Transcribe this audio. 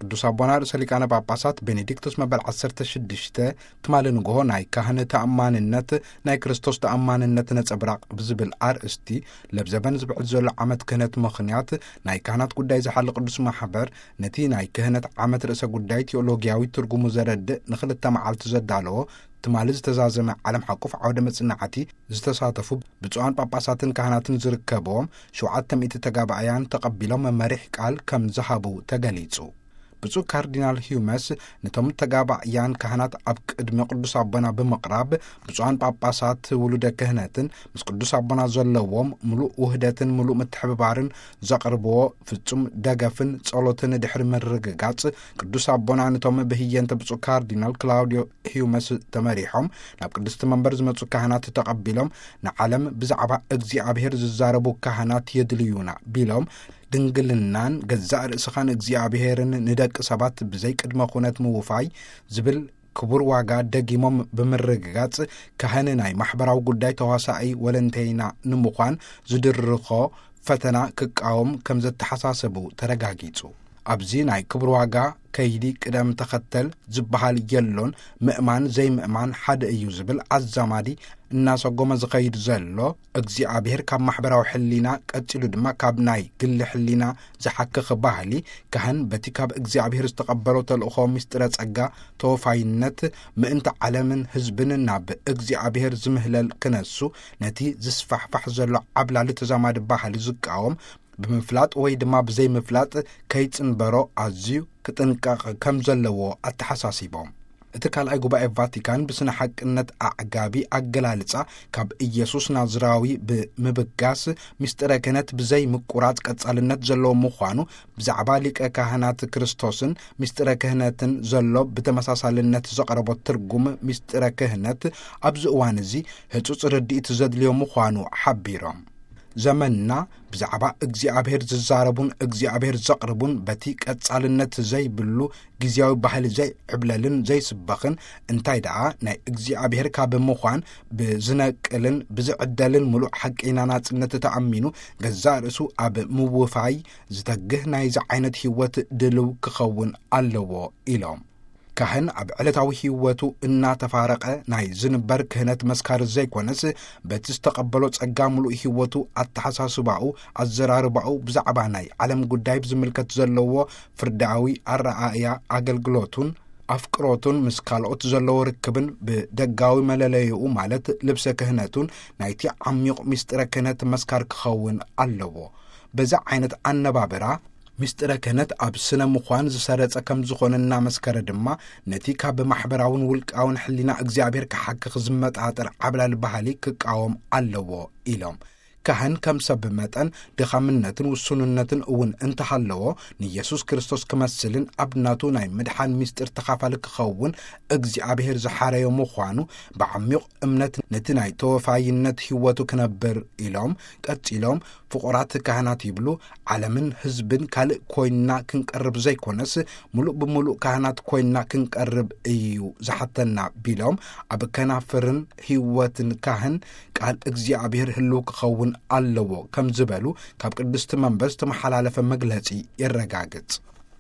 ቅዱስ ኣቦና ርእሰ ሊቃነ ጳጳሳት ቤኔዲክቶስ መበል ዓሰርተ ሽዱሽተ ትማሊ ንግሆ ናይ ካህን ተኣማንነት ናይ ክርስቶስ ተኣማንነት ነጸብራቕ ብዝብል ኣርእስቲ ለብዘበን ዝብዕል ዘሎ ዓመት ክህነት ምኽንያት ናይ ካህናት ጉዳይ ዝሓሊ ቅዱስ ማሕበር ነቲ ናይ ክህነት ዓመት ርእሰ ጉዳይ ቴዎሎጊያዊ ትርጉሙ ዘረድእ ንኽልተ መዓልቲ ዘዳለዎ ትማሊ ዝተዛዘመ ዓለም ሓቁፍ ዓውደ መጽናዕቲ ዝተሳተፉ ብፁዓን ጳጳሳትን ካህናትን ዝርከብዎም ሸውዓተ ሚእቲ ተጋባእያን ተቐቢሎም መሪሕ ቃል ከም ዝሃቡ ተገሊጹ። ብፁዕ ካርዲናል ሂዩመስ ነቶም ተጋባእያን ካህናት ኣብ ቅድሚ ቅዱስ ኣቦና ብምቕራብ ብፁዓን ጳጳሳት ውሉደ ክህነትን ምስ ቅዱስ ኣቦና ዘለዎም ምሉእ ውህደትን ምሉእ ምትሕብባርን ዘቕርብዎ ፍጹም ደገፍን ጸሎትን ድሕሪ ምርግጋጽ ቅዱስ ኣቦና ነቶም ብህየንተ ብፁዕ ካርዲናል ክላውዲዮ ሂዩመስ ተመሪሖም ናብ ቅድስቲ መንበር ዝመጹ ካህናት ተቐቢሎም ንዓለም ብዛዕባ እግዚኣብሔር ዝዛረቡ ካህናት የድልዩና ቢሎም ድንግልናን ገዛእ ርእስኻን እግዚኣብሔርን ንደቂ ሰባት ብዘይ ቅድመ ኩነት ምውፋይ ዝብል ክቡር ዋጋ ደጊሞም ብምርግጋጽ ካህን ናይ ማሕበራዊ ጉዳይ ተዋሳኢ ወለንተይና ንምዃን ዝድርኾ ፈተና ክቃወም ከም ዘተሓሳሰቡ ተረጋጊጹ። ኣብዚ ናይ ክቡር ዋጋ ከይዲ ቅደም ተኸተል ዝበሃል የሎን ምእማን ዘይምእማን ሓደ እዩ ዝብል ኣዛማዲ እናሰጎመ ዝኸይድ ዘሎ እግዚኣብሔር ካብ ማሕበራዊ ሕሊና ቀጺሉ ድማ ካብ ናይ ግሊ ሕሊና ዝሓክኽ ባህሊ ካህን በቲ ካብ እግዚኣብሔር ዝተቐበሎ ተልእኾ ምስጢረ ጸጋ ተወፋይነት ምእንቲ ዓለምን ህዝብን ናብ እግዚኣብሔር ዝምህለል ክነሱ ነቲ ዝስፋሕፋሕ ዘሎ ዓብላሊ ተዛማዲ ባህሊ ዝቃወም ብምፍላጥ ወይ ድማ ብዘይምፍላጥ ከይጽንበሮ ኣዝዩ ክጥንቀቕ ከም ዘለዎ ኣተሓሳሲቦም። እቲ ካልኣይ ጉባኤ ቫቲካን ብስነ ሓቅነት ኣዕጋቢ ኣገላልጻ ካብ ኢየሱስ ናዝራዊ ብምብጋስ ምስጢረ ክህነት ብዘይ ምቁራጽ ቀጻልነት ዘለዎ ምዃኑ ብዛዕባ ሊቀ ካህናት ክርስቶስን ምስጢረ ክህነትን ዘሎ ብተመሳሳልነት ዘቕረቦ ትርጉም ምስጢረ ክህነት ኣብዚ እዋን እዚ ህጹጽ ርድኢት ዘድልዮ ምዃኑ ሓቢሮም። ዘመንና ብዛዕባ እግዚኣብሔር ዝዛረቡን እግዚኣብሔር ዘቕርቡን በቲ ቀጻልነት ዘይብሉ ግዜያዊ ባህሊ ዘይዕብለልን ዘይስበኽን እንታይ ደኣ ናይ እግዚኣብሔር ካብ ምዃን ብዝነቅልን ብዝዕደልን ምሉእ ሓቂና ናጽነት ተኣሚኑ ገዛእ ርእሱ ኣብ ምውፋይ ዝተግህ ናይዚ ዓይነት ህይወት ድልው ክኸውን ኣለዎ ኢሎም። ካህን ኣብ ዕለታዊ ህይወቱ እናተፋረቐ ናይ ዝንበር ክህነት መስካሪ ዘይኮነስ በቲ ዝተቐበሎ ጸጋ ምሉእ ህይወቱ ኣተሓሳስባኡ ኣዘራርባኡ ብዛዕባ ናይ ዓለም ጉዳይ ብዝምልከት ዘለዎ ፍርዳዊ ኣረኣእያ ኣገልግሎቱን ኣፍቅሮቱን ምስ ካልኦት ዘለዎ ርክብን ብደጋዊ መለለይኡ ማለት ልብሰ ክህነቱን ናይቲ ዓሚቕ ምስጢረ ክህነት መስካር ክኸውን ኣለዎ። በዚ ዓይነት ኣነባብራ ምስጢረ ክህነት ኣብ ስነ ምዃን ዝሰረጸ ከም ዝኾነ እናመስከረ ድማ ነቲ ካብ ማሕበራውን ውልቃውን ሕሊና እግዚኣብሔር ክሓክኽ ዝመጣጠር ዓብላል ባህሊ ክቃወም ኣለዎ ኢሎም። ካህን ከም ሰብ መጠን ድኻምነትን ውሱንነትን እውን እንተሃለዎ ንኢየሱስ ክርስቶስ ክመስልን ኣብ ናቱ ናይ ምድሓን ምስጢር ተኻፋሊ ክኸውን እግዚኣብሔር ዝሓረዮ ምዃኑ ብዓሚቕ እምነት ነቲ ናይ ተወፋይነት ህይወቱ ክነብር ኢሎም። ቀጺሎም ፍቑራት ካህናት ይብሉ ዓለምን ህዝብን ካልእ ኮይንና ክንቀርብ ዘይኮነስ ምሉእ ብምሉእ ካህናት ኮይንና ክንቀርብ እዩ ዝሓተና ቢሎም ኣብ ከናፍርን ህይወትን ካህን ቃል እግዚኣብሔር ህልው ክኸውን ኣለዎ ከም ዝበሉ ካብ ቅድስቲ መንበር ዝተመሓላለፈ መግለጺ የረጋግጽ።